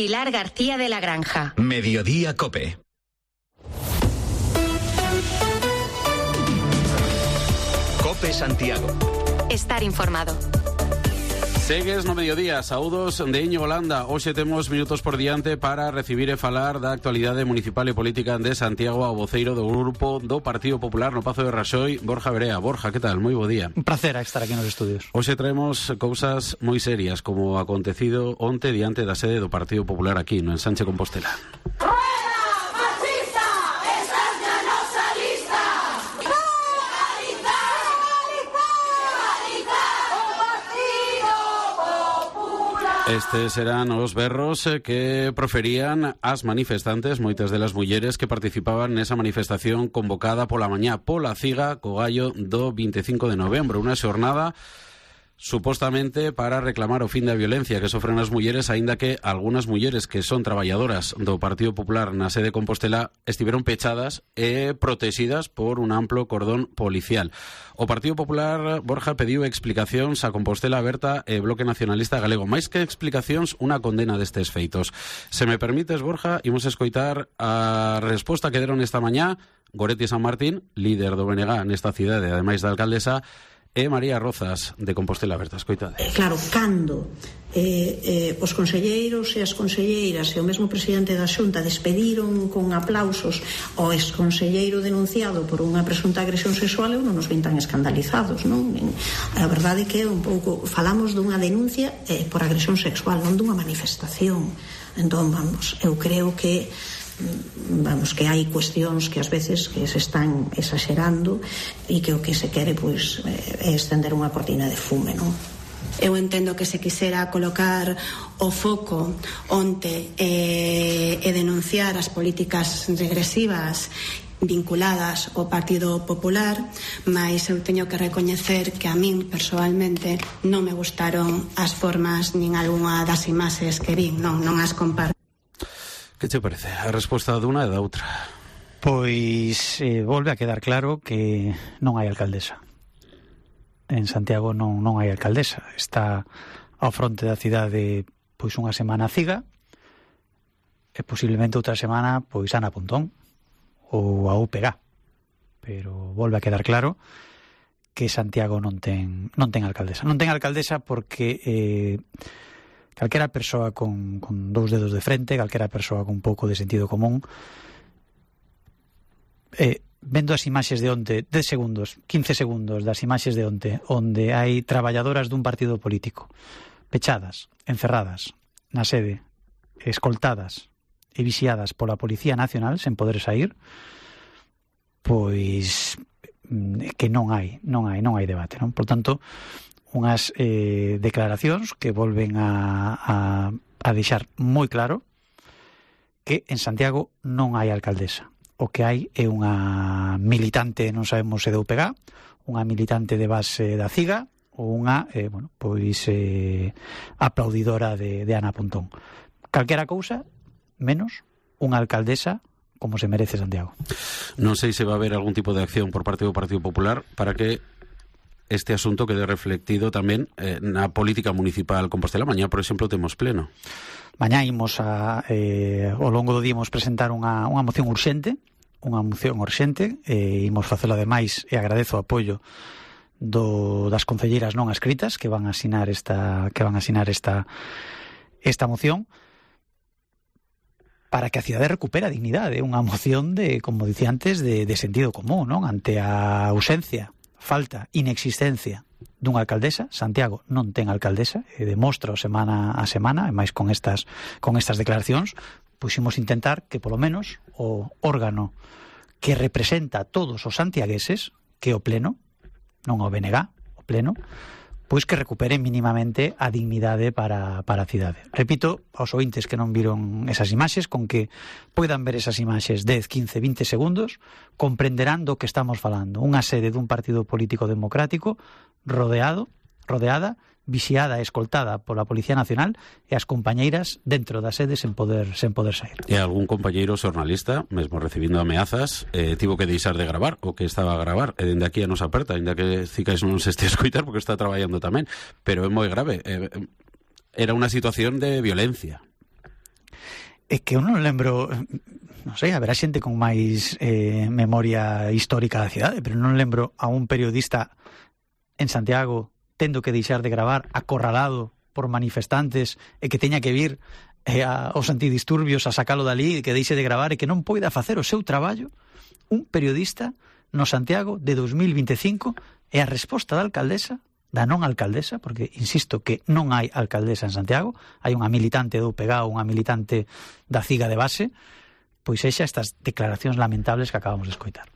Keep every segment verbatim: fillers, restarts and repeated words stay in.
Pilar García de la Granja. Mediodía COPE. COPE Santiago. Estar informado. Segues no mediodía, saúdos de Íñigo Landa. Hoxe temos minutos por diante para recibir e falar da actualidade municipal e política de Santiago ao voceiro do grupo do Partido Popular no Pazo de Raxoi, Borja Verea. Borja, que tal? Moi bo día. Un placer estar aquí nos estudios. Hoxe traemos cousas moi serias, como o acontecido onte diante da sede do Partido Popular aquí, no Ensanche Compostela. Estes serán os berros que proferían as manifestantes, moitas delas mulleres que participaban nesa manifestación convocada pola mañá pola Ciga co gallo do vinte e cinco de novembro, unha xornada supostamente para reclamar o fin da violencia que sofren as mulleres, aínda que algunhas mulleres que son traballadoras do Partido Popular na sede de Compostela estiveron pechadas e protegidas por un amplo cordón policial. O Partido Popular, Borja, pediu explicacións a Compostela Aberta e Bloque Nacionalista Galego. Máis que explicacións, unha condena destes feitos. Se me permites, Borja, imos escoitar a resposta que deron esta mañá Goretti San Martín, líder do B N G nesta cidade, ademais da alcaldesa, e María Rozas, de Compostela Aberta. Escoitade. Claro, cando eh, eh, os conselleiros e as conselleiras e o mesmo presidente da Xunta despediron con aplausos ao exconselleiro denunciado por unha presunta agresión sexual, eu non nos vin tan escandalizados, non? A verdade é que un pouco falamos dunha denuncia eh, por agresión sexual, non dunha manifestación. Entón, vamos, eu creo que vamos, que hai cuestións que ás veces que se están exagerando e que o que se quere pois é estender unha cortina de fume, non? Eu entendo que se quisera colocar o foco onte e, e denunciar as políticas regresivas vinculadas ao Partido Popular, mas eu teño que recoñecer que a min persoalmente non me gustaron as formas nin algunha das imaxes que vin, non, non as comparto. Que te parece a resposta dunha e da outra? Pois eh, volve a quedar claro que non hai alcaldesa. En Santiago non, non hai alcaldesa. Está ao fronte da cidade pois unha semana Ciga e posiblemente outra semana pois Ana Pontón ou a U P G. Pero volve a quedar claro que Santiago non ten non ten alcaldesa. Non ten alcaldesa porque eh, calquera persoa con, con dous dedos de frente, calquera persoa con un pouco de sentido común, eh, vendo as imaxes de onte, dez segundos, quince segundos das imaxes de onte, onde hai traballadoras dun partido político pechadas, encerradas na sede, escoltadas e vixiadas pola Policía Nacional sen poder sair, pois que non hai, non hai, non hai debate, non? Por tanto, unhas eh, declaracións que volven a, a, a deixar moi claro que en Santiago non hai alcaldesa. O que hai é unha militante, non sabemos se de U P G, unha militante de base da Ciga ou unha, eh, bueno, pois eh, aplaudidora de, de Ana Pontón. Calquera cousa, menos unha alcaldesa como se merece Santiago. Non sei se va a haber algún tipo de acción por parte do Partido Popular para que este asunto quede reflectido tamén eh, na política municipal Compostela. Mañá, por exemplo, temos pleno. Mañá imos a, eh, ao longo do día imos presentar unha, unha moción urxente, unha moción urxente, e imos facelo ademais, e agradezo o apoio do, das concelleiras non escritas que van a asinar esta, que van a asinar esta, esta moción, para que a cidade recupere a dignidade, unha moción de, como dicía antes, de, de sentido común, non? Ante a ausencia, falta, inexistencia dunha alcaldesa. Santiago non ten alcaldesa, e demostra semana a semana, e máis con estas con estas declaracións, pois imos intentar que polo menos o órgano que representa a todos os santiagueses, que é o pleno, non o B N G, o pleno, pois que recupere mínimamente a dignidade para, para a cidade. Repito, aos ointes que non viron esas imaxes, con que poidan ver esas imaxes dez, quince, vinte segundos, comprenderán do que estamos falando. Unha sede dun partido político democrático rodeado, rodeada, vixiada e escoltada pola Policía Nacional, e as compañeiras dentro da sede sen poder sen poder sair. E algún compañeiro xornalista, mesmo recibindo ameazas, eh, tivo que deixar de gravar o que estaba a gravar, e dende aquí a nos aperta, ainda que Cicais non se este a escoitar porque está traballando tamén, pero é moi grave. Eh, era unha situación de violencia. é que eu non lembro, non sei, haberá xente con máis eh, memoria histórica da cidade, pero non lembro a un periodista en Santiago tendo que deixar de gravar acorralado por manifestantes e que teña que vir eh, a, aos antidisturbios a sacalo dali, que deixe de gravar e que non poida facer o seu traballo. Un periodista no Santiago de dos mil veinticinco, e a resposta da alcaldesa, da non alcaldesa, porque insisto que non hai alcaldesa en Santiago, hai unha militante do U P G A, unha militante da C I G A de base, pois exa estas declaracións lamentables que acabamos de escoitar.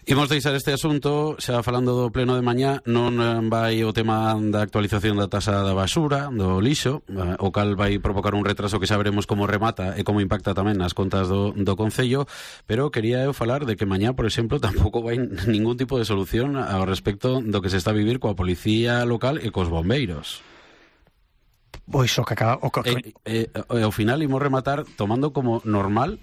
Imos deixar este asunto, xa falando do pleno de mañá, non vai o tema da actualización da tasa da basura, do lixo, o cal vai provocar un retraso que xa veremos como remata e como impacta tamén nas contas do, do Concello, pero quería eu falar de que mañá, por exemplo, tampouco vai ningún tipo de solución ao respecto do que se está a vivir coa policía local e cos bombeiros. Pois o que acaba... O que... E, e, e ao final imos rematar tomando como normal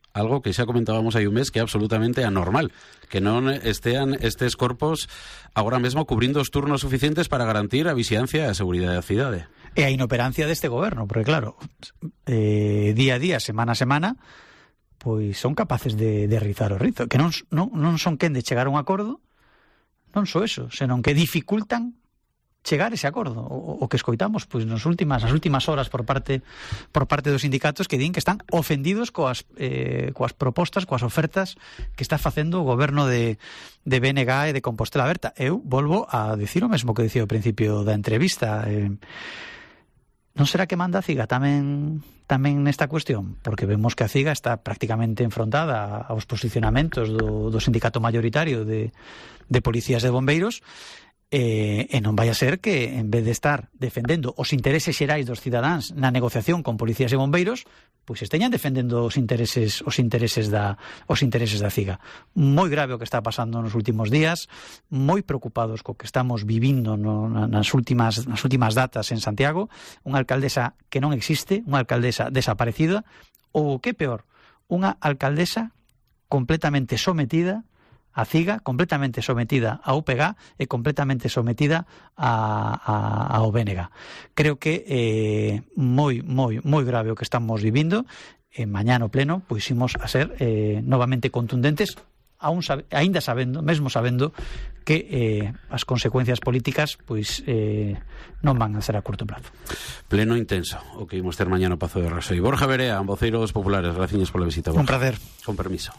algo que xa comentábamos hai un mes que é absolutamente anormal, que non estean estes corpos agora mesmo cubrindo os turnos suficientes para garantir a vixiancia e a seguridade da cidade. E a inoperancia deste goberno, porque claro, eh, día a día, semana a semana, pois son capaces de, de rizar o rizo, que non, non, non son quen de chegar a un acordo, non só eso, senón que dificultan chegar ese acordo, o, o que escoitamos pois nas últimas nas últimas horas por parte por parte dos sindicatos que din que están ofendidos coas eh, coas propostas, coas ofertas que está facendo o goberno de de B N G e de Compostela Aberta. Eu volvo a dicir o mesmo que dicía ao principio da entrevista. Eh, non será que manda a C I G A tamén tamén nesta cuestión? Porque vemos que a C I G A está prácticamente enfrontada aos posicionamentos do, do sindicato mayoritario de, de policías e bombeiros. E, e non vai a ser que en vez de estar defendendo os intereses xerais dos cidadáns na negociación con policías e bombeiros, pois esteñan defendendo os intereses os intereses da os intereses da C I G A. Moi grave o que está pasando nos últimos días, moi preocupados co que estamos vivindo no, nas últimas nas últimas datas en Santiago, unha alcaldesa que non existe, unha alcaldesa desaparecida, ou que peor, unha alcaldesa completamente sometida a C I G A, completamente sometida a U P G A e completamente sometida a, a, ao B N G. Creo que é eh, moi, moi, moi grave o que estamos vivindo. E mañá no pleno pois imos a ser eh, novamente contundentes, aún sabe, ainda sabendo, mesmo sabendo que eh, as consecuencias políticas pois eh, non van a ser a curto prazo. Pleno intenso o que imos ter mañá no Pazo de Raxoi. Borja Verea, voceiros populares, gracias pola visita, Borja. Un prazer. Con permiso.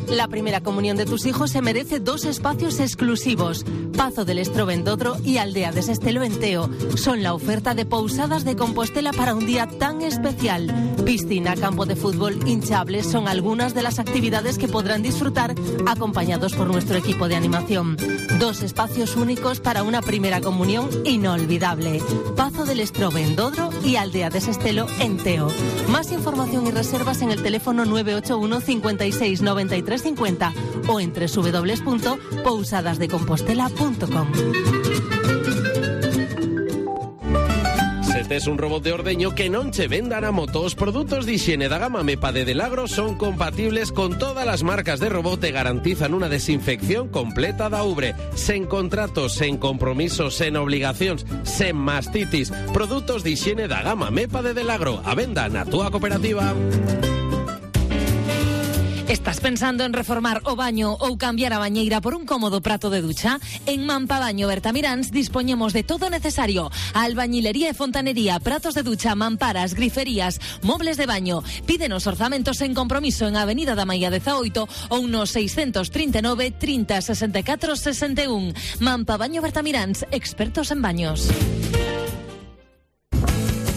La primera comunión de tus hijos se merece dos espacios exclusivos. Pazo del Estrobe en Dodro y Aldea de Sestelo en Teo. Son la oferta de Pousadas de Compostela para un día tan especial. Piscina, campo de fútbol, hinchables son algunas de las actividades que podrán disfrutar acompañados por nuestro equipo de animación. Dos espacios únicos para una primera comunión inolvidable. Pazo del Estrobe en Dodro y Aldea de Sestelo en Teo. Más información y reservas en el teléfono nueve ocho uno cincuenta y seis noventa y tres cincuenta o en doble u doble u doble u punto pousadas de compostela punto com. Se tes un robot de ordeño que non che vendan a moto, os produtos de higiene da gama MEPA de Delagro son compatibles con todas las marcas de robot e garantizan unha desinfección completa da ubre, sen contratos, sen compromisos, sen obligacións, sen mastitis. Produtos de higiene da gama MEPA de Delagro, a venda na túa cooperativa. ¿Estás pensando en reformar o baño ou cambiar a bañeira por un cómodo prato de ducha? En Mampabaño Bertamiráns dispoñemos de todo necesario: albañilería e fontanería, pratos de ducha, mamparas, griferías, mobles de baño. Pídenos orzamentos en compromiso en Avenida da Maía dezaoito ou no seiscentos trinta e nove trinta sesenta e catro sesenta e un. Mampabaño Bertamiráns, expertos en baños.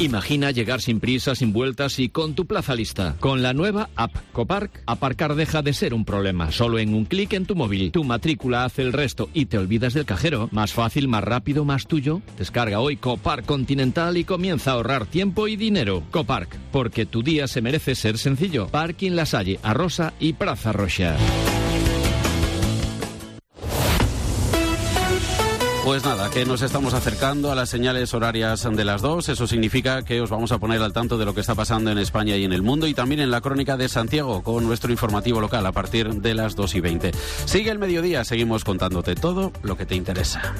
Imagina llegar sin prisa, sin vueltas y con tu plaza lista. Con la nueva app Copark, aparcar deja de ser un problema. Solo en un clic en tu móvil. Tu matrícula hace el resto y te olvidas del cajero. Más fácil, más rápido, más tuyo. Descarga hoy Copark Continental y comienza a ahorrar tiempo y dinero. Copark, porque tu día se merece ser sencillo. Parking La Salle, Arrosa y Praza Roxa. Pues nada, que nos estamos acercando a las señales horarias de las dos. Eso significa que os vamos a poner al tanto de lo que está pasando en España y en el mundo, y también en la crónica de Santiago con nuestro informativo local a partir de las dos y veinte. Sigue el mediodía, seguimos contándote todo lo que te interesa.